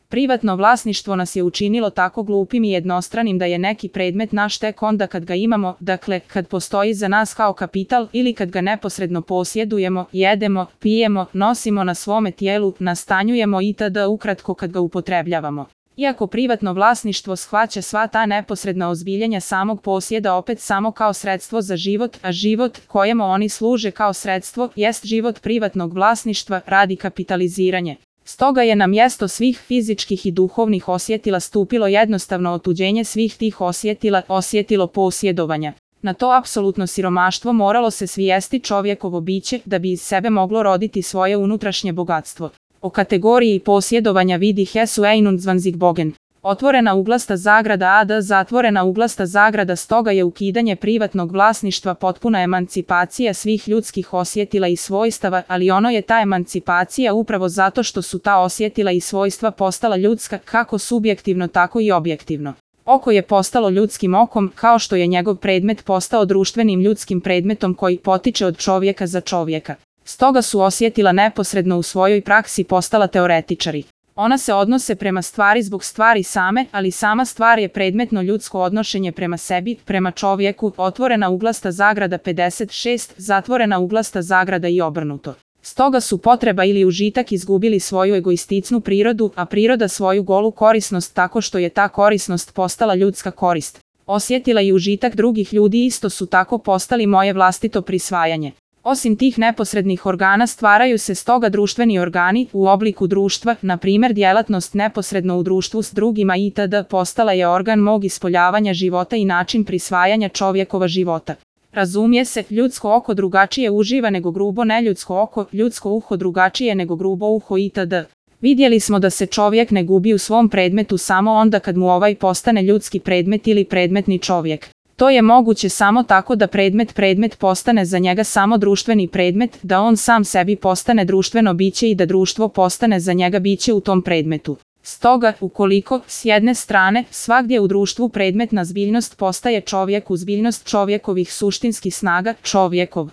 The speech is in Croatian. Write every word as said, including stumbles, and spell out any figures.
Privatno vlasništvo nas je učinilo tako glupim i jednostranim da je neki predmet naš tek onda kad ga imamo, dakle, kad postoji za nas kao kapital ili kad ga neposredno posjedujemo, jedemo, pijemo, nosimo na svome tijelu, nastanjujemo itd. Ukratko kad ga upotrebljavamo. Iako privatno vlasništvo shvaća sva ta neposredna ozbiljenja samog posjeda opet samo kao sredstvo za život, a život kojemu oni služe kao sredstvo jest život privatnog vlasništva radi kapitaliziranje. Stoga je na mjesto svih fizičkih i duhovnih osjetila stupilo jednostavno otuđenje svih tih osjetila, osjetilo posjedovanja. Na to apsolutno siromaštvo moralo se svijesti čovjekovo biće da bi iz sebe moglo roditi svoje unutrašnje bogatstvo. O kategoriji posjedovanja vidi Hesu Einundzwanzig Bogen. Otvorena uglasta zagrada ad zatvorena uglasta zagrada. Stoga je ukidanje privatnog vlasništva potpuna emancipacija svih ljudskih osjetila i svojstava, ali ono je ta emancipacija upravo zato što su ta osjetila i svojstva postala ljudska kako subjektivno tako i objektivno. Oko je postalo ljudskim okom kao što je njegov predmet postao društvenim ljudskim predmetom koji potiče od čovjeka za čovjeka. Stoga su osjetila neposredno u svojoj praksi postala teoretičari. Ona se odnose prema stvari zbog stvari same, ali sama stvar je predmetno ljudsko odnošenje prema sebi, prema čovjeku, otvorena uglasta zagrada pedeset šest, zatvorena uglasta zagrada i obrnuto. Stoga su potreba ili užitak izgubili svoju egoisticnu prirodu, a priroda svoju golu korisnost tako što je ta korisnost postala ljudska korist. Osjetila i užitak drugih ljudi isto su tako postali moje vlastito prisvajanje. Osim tih neposrednih organa stvaraju se stoga društveni organi u obliku društva, na primjer djelatnost neposredno u društvu s drugima itd. Postala je organ mog ispoljavanja života i način prisvajanja čovjekova života. Razumije se, ljudsko oko drugačije uživa nego grubo neljudsko oko, ljudsko uho drugačije nego grubo uho itd. Vidjeli smo da se čovjek ne gubi u svom predmetu samo onda kad mu ovaj postane ljudski predmet ili predmetni čovjek. To je moguće samo tako da predmet predmet postane za njega samo društveni predmet, da on sam sebi postane društveno biće i da društvo postane za njega biće u tom predmetu. Stoga, ukoliko, s jedne strane, svagdje u društvu predmetna zbiljnost postaje čovjek u zbiljnost čovjekovih suštinskih snaga, čovjekov